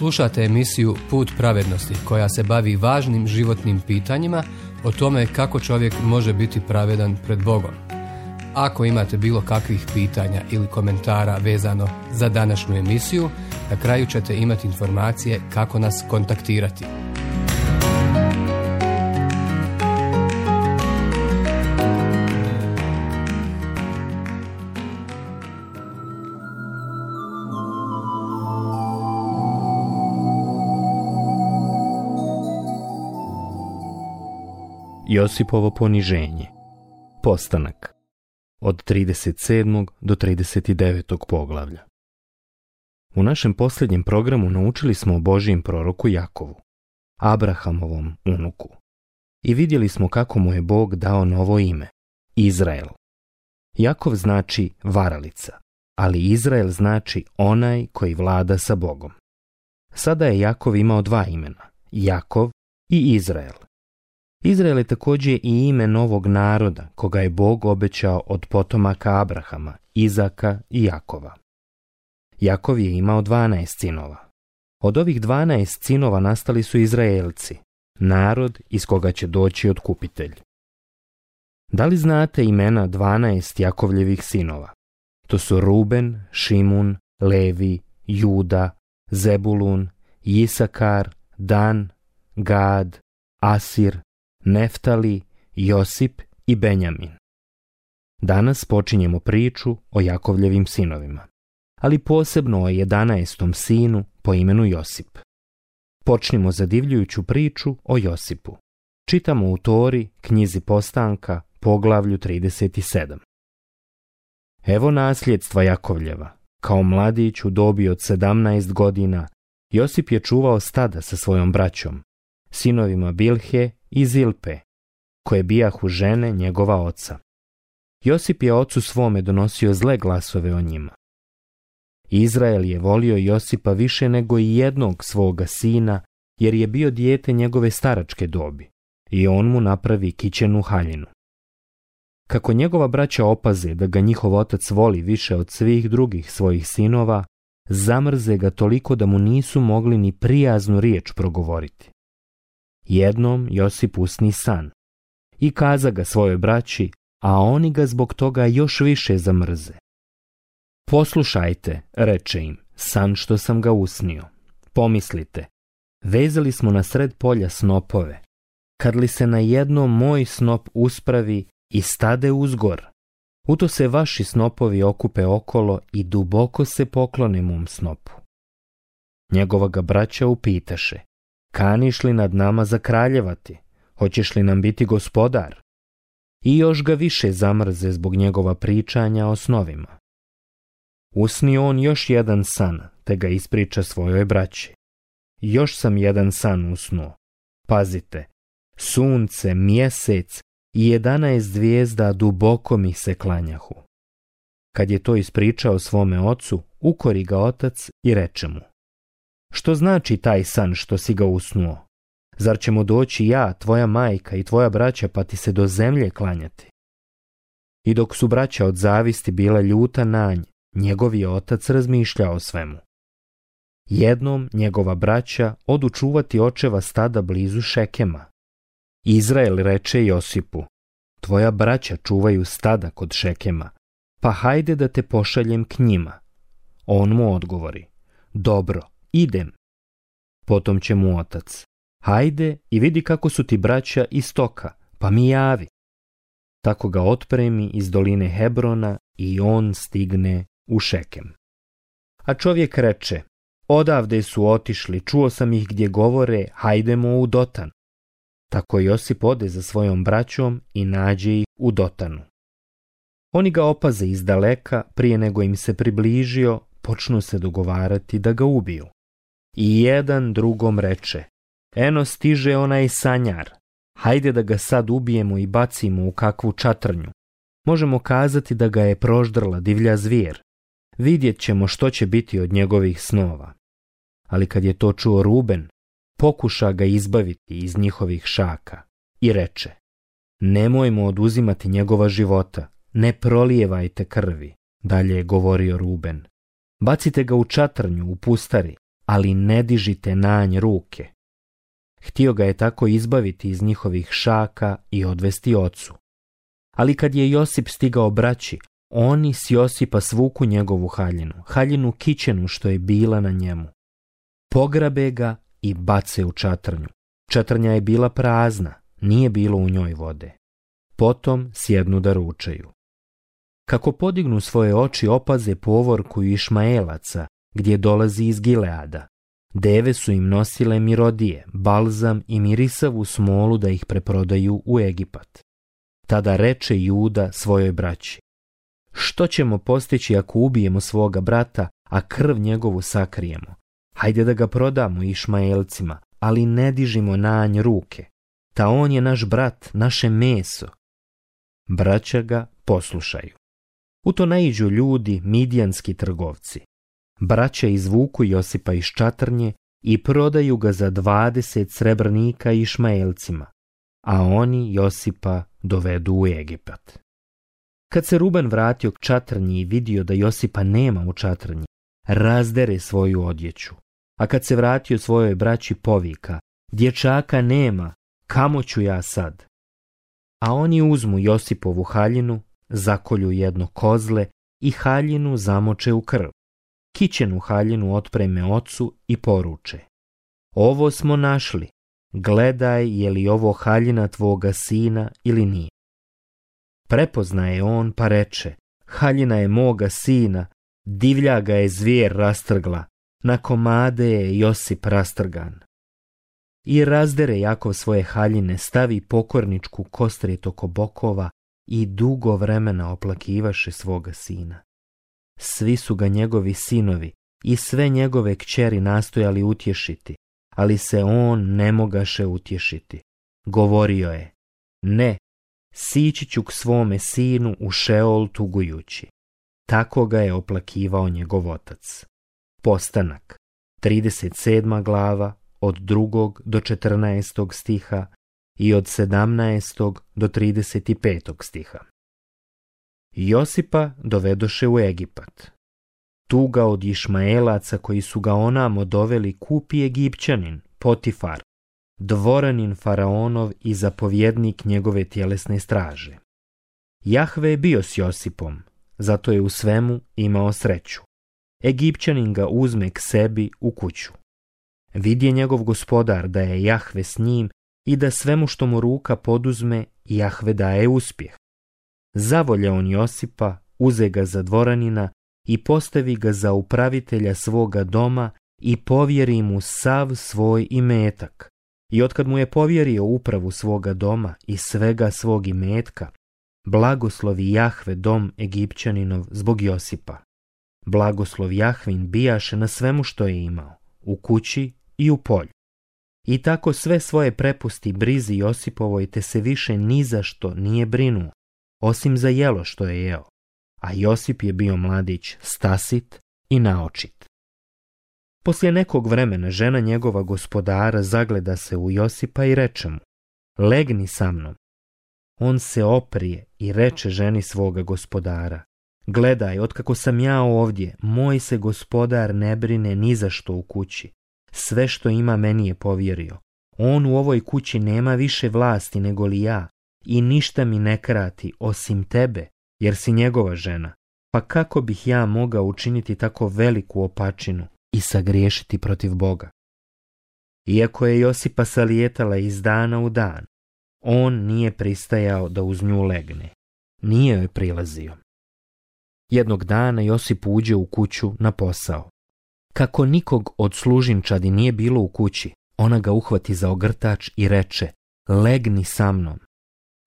Slušate emisiju Put pravednosti koja se bavi važnim životnim pitanjima o tome kako čovjek može biti pravedan pred Bogom. Ako imate bilo kakvih pitanja ili komentara vezano za današnju emisiju, na kraju ćete imati informacije kako nas kontaktirati. Josipovo poniženje. Postanak. Od 37. do 39. poglavlja. U našem posljednjem programu naučili smo o Božijem proroku Jakovu, Abrahamovom unuku. I vidjeli smo kako mu je Bog dao novo ime, Izrael. Jakov znači varalica, ali Izrael znači onaj koji vlada sa Bogom. Sada je Jakov imao dva imena, Jakov i Izrael. Izrael je također i ime novog naroda koga je Bog obećao od potomaka Abrahama, Izaka i Jakova. Jakov je imao 12 sinova. Od ovih 12 sinova nastali su Izraelci, narod iz koga će doći otkupitelj. Da li znate imena 12 Jakovljevih sinova? To su Ruben, Šimun, Levi, Juda, Zebulun, Isakar, Dan, Gad, Asir, Neftali, Josip i Benjamin. Danas počinjemo priču o Jakovljevim sinovima, ali posebno o 11. sinu po imenu Josip. Počnimo zadivljujuću priču o Josipu. Čitamo u Tori, knjizi Postanka, poglavlju 37. Evo nasljedstva Jakovljeva. Kao mladić u dobi od 17 godina, Josip je čuvao stada sa svojom braćom, sinovima Bilhe i Zilpe, koje bijahu žene njegova oca. Josip je ocu svome donosio zle glasove o njima. Izrael je volio Josipa više nego i jednog svoga sina, jer je bio dijete njegove staračke dobi, i on mu napravi kićenu haljinu. Kako njegova braća opaze da ga njihov otac voli više od svih drugih svojih sinova, zamrze ga toliko da mu nisu mogli ni prijaznu riječ progovoriti. Jednom Josip usni san i kaza ga svojoj braći, a oni ga zbog toga još više zamrze. Poslušajte, reče im, san što sam ga usnio. Pomislite, vezali smo na sred polja snopove. Kad li se na jednom moj snop uspravi i stade uzgor, u to se vaši snopovi okupe okolo i duboko se poklone mom snopu. Njegova ga braća upitaše, kaniš li nad nama zakraljevati? Hoćeš li nam biti gospodar? I još ga više zamrze zbog njegova pričanja o snovima. Usni on još jedan san, te ga ispriča svojoj braći. Još sam jedan san usnuo. Pazite, sunce, mjesec i 11 zvijezda duboko mi se klanjahu. Kad je to ispričao svome ocu, ukori ga otac i reče mu, što znači taj san što si ga usnuo? Zar ćemo doći ja, tvoja majka i tvoja braća pa ti se do zemlje klanjati? I dok su braća od zavisti bila ljuta na nj, njegov je otac razmišljao o svemu. Jednom njegova braća odu čuvati očeva stada blizu Šekema. Izrael reče Josipu, tvoja braća čuvaju stada kod Šekema, pa hajde da te pošaljem k njima. On mu odgovori, dobro, idem. Potom će mu otac, hajde i vidi kako su ti braća iz stoka, pa mi javi. Tako ga otpremi iz doline Hebrona i on stigne u Šekem. A čovjek reče, odavde su otišli, čuo sam ih gdje govore, hajdemo u Dotan. Tako Josip ode za svojom braćom i nađe ih u Dotanu. Oni ga opaze iz daleka, prije nego im se približio, počnu se dogovarati da ga ubiju. I jedan drugom reče, eno stiže onaj sanjar, hajde da ga sad ubijemo i bacimo u kakvu čatrnju. Možemo kazati da ga je proždrla divlja zvijer. Vidjet ćemo što će biti od njegovih snova. Ali kad je to čuo Ruben, pokuša ga izbaviti iz njihovih šaka i reče, nemojmo oduzimati njegova života, ne prolijevajte krvi, dalje je govorio Ruben. Bacite ga u čatrnju, u pustari, ali ne dižite na nj ruke. Htio ga je tako izbaviti iz njihovih šaka i odvesti ocu. Ali kad je Josip stigao braći, oni s Josipa svuku njegovu haljinu kićenu što je bila na njemu. Pograbe ga i bace u čatrnju. Čatrnja je bila prazna, nije bilo u njoj vode. Potom sjednu da ručaju. Kako podignu svoje oči, opaze povorku Išmaelaca, gdje dolazi iz Gileada. Deve su im nosile mirodije, balzam i mirisavu smolu da ih preprodaju u Egipat. Tada reče Juda svojoj braći: što ćemo postići ako ubijemo svoga brata, a krv njegovu sakrijemo? Hajde da ga prodamo Išmaelcima, ali ne dižimo na nj ruke. Ta on je naš brat, naše meso. Braća ga poslušaju. U to naiđu ljudi, midjanski trgovci. Braća izvuku Josipa iz čatrnje i prodaju ga za 20 srebrnika Išmaelcima, a oni Josipa dovedu u Egipat. Kad se Ruben vratio k čatrnji i vidio da Josipa nema u čatrnji, razdere svoju odjeću, a kad se vratio svojoj braći povika: dječaka nema, kamo ću ja sad? A oni uzmu Josipovu haljinu, zakolju jedno kozle i haljinu zamoče u krv. Kićenu haljinu otpreme ocu i poruče: ovo smo našli, gledaj je li ovo haljina tvoga sina ili nije. Prepoznaje on pa reče: haljina je moga sina, divlja ga je zvijer rastrgla, na komade je Josip rastrgan. I razdere Jakov svoje haljine, stavi pokorničku kostrijet oko bokova i dugo vremena oplakivaše svoga sina. Svi su ga njegovi sinovi i sve njegove kćeri nastojali utješiti, ali se on ne mogaše utješiti. Govorio je: ne, sići ću k svome sinu u Šeol tugujući. Tako ga je oplakivao njegov otac. Postanak, 37. glava, od 2. do 14. stiha i od 17. do 35. stiha. Josipa dovedoše u Egipat. Tu ga od Išmaelaca koji su ga onamo doveli kupi Egipćanin, Potifar, dvoranin faraonov i zapovjednik njegove tjelesne straže. Jahve je bio s Josipom, zato je u svemu imao sreću. Egipćanin ga uzme k sebi u kuću. Vidje njegov gospodar da je Jahve s njim i da svemu što mu ruka poduzme, Jahve daje uspjeh. Zavolja on Josipa, uze ga za dvoranina i postavi ga za upravitelja svoga doma i povjeri mu sav svoj imetak. I otkad mu je povjerio upravu svoga doma i svega svog imetka, blagoslovi Jahve dom Egipćaninov zbog Josipa. Blagoslov Jahvin bijaše na svemu što je imao, u kući i u polju. I tako sve svoje prepusti brizi Josipovoj, te se više ni za što nije brinuo, osim za jelo što je jeo. A Josip je bio mladić stasit i naočit. Poslije nekog vremena žena njegova gospodara zagleda se u Josipa i reče mu: legni sa mnom. On se oprije i reče ženi svoga gospodara: gledaj, otkako sam ja ovdje, moj se gospodar ne brine ni za što u kući. Sve što ima meni je povjerio. On u ovoj kući nema više vlasti nego li ja i ništa mi ne krati osim tebe, jer si njegova žena. Pa kako bih ja mogao učiniti tako veliku opačinu i sagriješiti protiv Boga? Iako je Josipa salijetala iz dana u dan, on nije pristajao da uz nju legne. Nije joj prilazio. Jednog dana Josip uđe u kuću na posao. Kako nikog od služinčadi nije bilo u kući, ona ga uhvati za ogrtač i reče: legni sa mnom.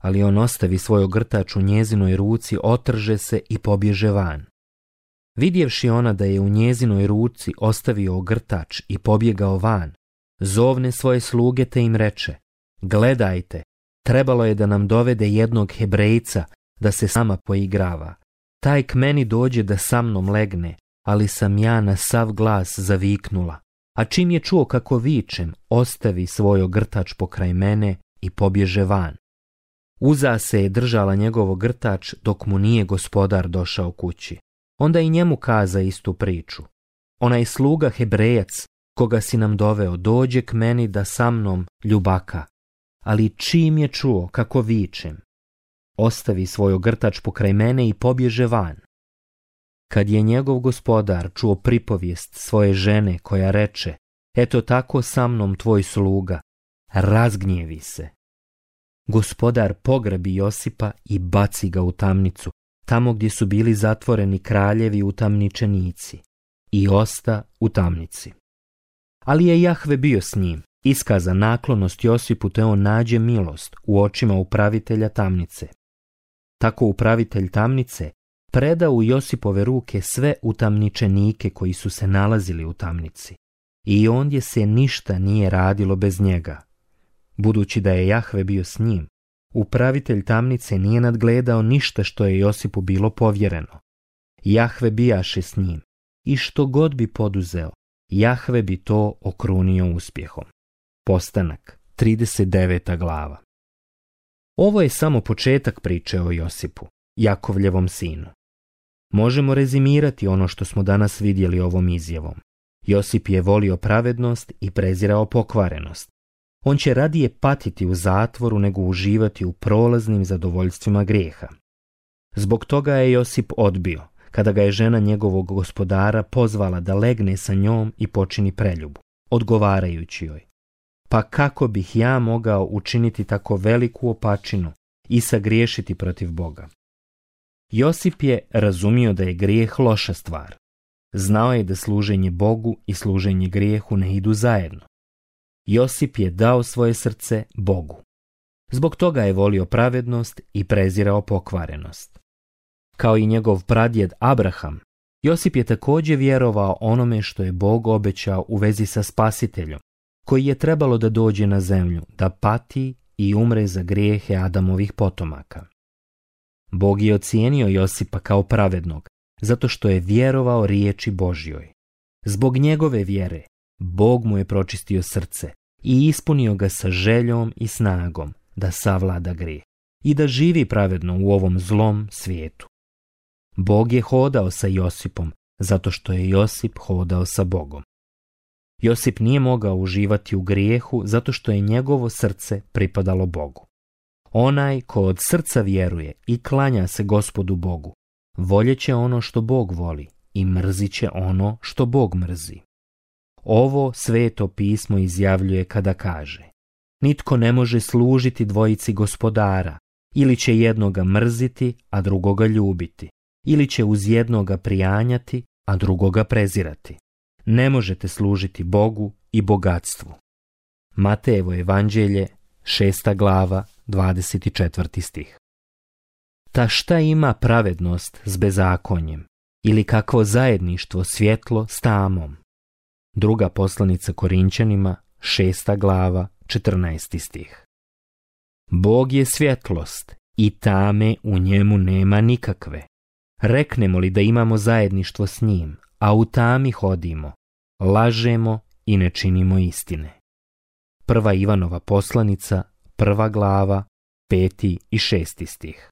Ali on ostavi svoj ogrtač u njezinoj ruci, otrže se i pobježe van. Vidjevši ona da je u njezinoj ruci ostavio ogrtač i pobjegao van, zovne svoje sluge te im reče: gledajte, trebalo je da nam dovede jednog Hebrejca da se sama poigrava. Taj k meni dođe da sa mnom legne, ali sam ja na sav glas zaviknula. A čim je čuo kako vičem, ostavi svoj ogrtač pokraj mene i pobježe van. Uza se je držala njegov ogrtač dok mu nije gospodar došao kući. Onda i njemu kaza istu priču. Onaj sluga Hebrejac koga si nam doveo, dođe k meni da sa mnom ljubaka, ali čim je čuo kako vičem, ostavi svoj ogrtač pokraj mene i pobježe van. Kad je njegov gospodar čuo pripovijest svoje žene koja reče, eto tako sa mnom tvoj sluga, razgnjevi se. Gospodar pogrebi Josipa i baci ga u tamnicu, tamo gdje su bili zatvoreni kraljevi utamničenici, i osta u tamnici. Ali je Jahve bio s njim, iskaza naklonost Josipu, te on nađe milost u očima upravitelja tamnice. Tako upravitelj tamnice preda u Josipove ruke sve utamničenike koji su se nalazili u tamnici, i ondje se ništa nije radilo bez njega. Budući da je Jahve bio s njim, upravitelj tamnice nije nadgledao ništa što je Josipu bilo povjereno. Jahve bijaše s njim, i što god bi poduzeo, Jahve bi to okrunio uspjehom. Postanak, 39. glava. Ovo je samo početak priče o Josipu, Jakovljevom sinu. Možemo rezimirati ono što smo danas vidjeli ovom izjavom. Josip je volio pravednost i prezirao pokvarenost. On će radije patiti u zatvoru nego uživati u prolaznim zadovoljstvima grijeha. Zbog toga je Josip odbio, kada ga je žena njegovog gospodara pozvala da legne sa njom i počini preljubu, odgovarajući joj: pa kako bih ja mogao učiniti tako veliku opačinu i sagriješiti protiv Boga? Josip je razumio da je grijeh loša stvar. Znao je da služenje Bogu i služenje grijehu ne idu zajedno. Josip je dao svoje srce Bogu. Zbog toga je volio pravednost i prezirao pokvarenost. Kao i njegov pradjed Abraham, Josip je također vjerovao onome što je Bog obećao u vezi sa Spasiteljom, koji je trebalo da dođe na zemlju, da pati i umre za grijehe Adamovih potomaka. Bog je ocijenio Josipa kao pravednog, zato što je vjerovao riječi Božjoj. Zbog njegove vjere, Bog mu je pročistio srce i ispunio ga sa željom i snagom da savlada grijeh i da živi pravedno u ovom zlom svijetu. Bog je hodao sa Josipom, zato što je Josip hodao sa Bogom. Josip nije mogao uživati u grijehu, zato što je njegovo srce pripadalo Bogu. Onaj ko od srca vjeruje i klanja se Gospodu Bogu, voljeće ono što Bog voli i mrzit će ono što Bog mrzi. Ovo Sveto pismo izjavljuje kada kaže: nitko ne može služiti dvojici gospodara, ili će jednoga mrziti, a drugoga ljubiti, ili će uz jednoga prijanjati, a drugoga prezirati. Ne možete služiti Bogu i bogatstvu. Matejevo evanđelje, 6. glava, 24. stih. Ta šta ima pravednost s bezakonjem, ili kakvo zajedništvo svjetlo s tamom? Druga poslanica Korinčanima, 6. glava, 14. stih. Bog je svjetlost i tame u njemu nema nikakve. Reknemo li da imamo zajedništvo s njim, a u tami hodimo, lažemo i ne činimo istine. Prva Ivanova poslanica, 1. glava, 5. i 6. stih.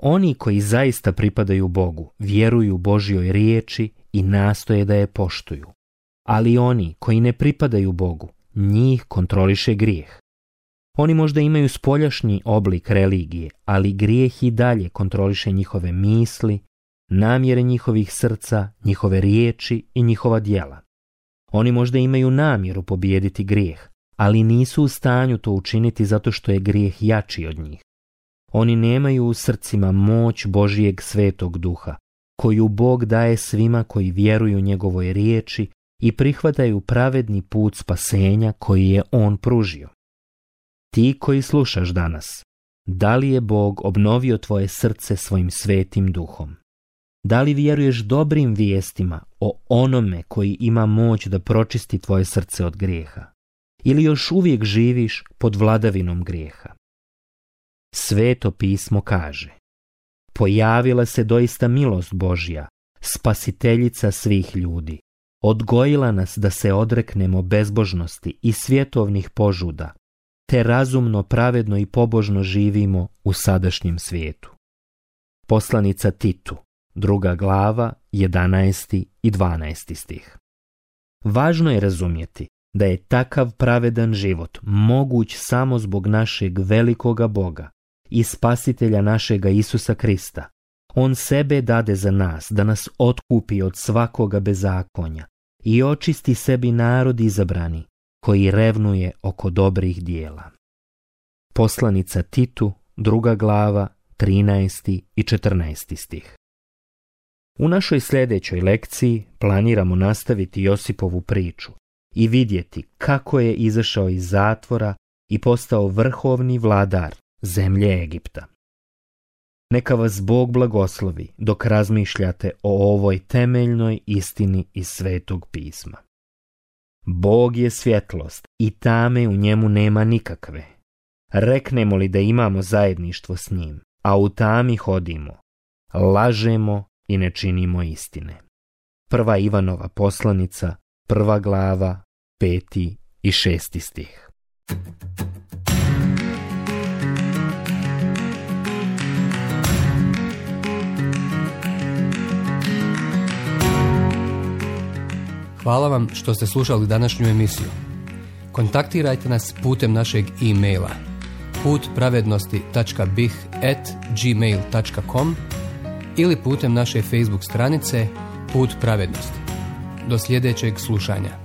Oni koji zaista pripadaju Bogu vjeruju Božjoj riječi i nastoje da je poštuju. Ali oni koji ne pripadaju Bogu, njih kontroliše grijeh. Oni možda imaju spoljašnji oblik religije, ali grijeh i dalje kontroliše njihove misli, namjere njihovih srca, njihove riječi i njihova djela. Oni možda imaju namjeru pobijediti grijeh, ali nisu u stanju to učiniti zato što je grijeh jači od njih. Oni nemaju u srcima moć Božijeg Svetog Duha, koju Bog daje svima koji vjeruju njegovoj riječi i prihvataju pravedni put spasenja koji je On pružio. Ti koji slušaš danas, da li je Bog obnovio tvoje srce svojim Svetim Duhom? Da li vjeruješ dobrim vijestima o onome koji ima moć da pročisti tvoje srce od grijeha? Ili još uvijek živiš pod vladavinom grijeha? Sveto pismo kaže: pojavila se doista milost Božja, spasiteljica svih ljudi. Odgojila nas da se odreknemo bezbožnosti i svjetovnih požuda, te razumno, pravedno i pobožno živimo u sadašnjem svijetu. Poslanica Titu, 2. glava, 11. i 12. stih. Važno je razumjeti da je takav pravedan život moguć samo zbog našeg velikoga Boga i spasitelja našega Isusa Krista. On sebe dade za nas, da nas otkupi od svakoga bezakonja i očisti sebi narod izabrani, koji revnuje oko dobrih dijela. Poslanica Titu, 2. glava, 13. i 14. stih. U našoj sljedećoj lekciji planiramo nastaviti Josipovu priču i vidjeti kako je izašao iz zatvora i postao vrhovni vladar zemlje Egipta. Neka vas Bog blagoslovi dok razmišljate o ovoj temeljnoj istini iz Svetog pisma. Bog je svjetlost i tame u njemu nema nikakve. Reknemo li da imamo zajedništvo s njim, a u tami hodimo, lažemo i ne činimo istine. 1. Ivanova poslanica, 1. glava, 5. i 6. stih. Hvala vam što ste slušali današnju emisiju. Kontaktirajte nas putem našeg e-maila putpravednosti.bih@gmail.com ili putem naše Facebook stranice Put pravednosti. Do sljedećeg slušanja.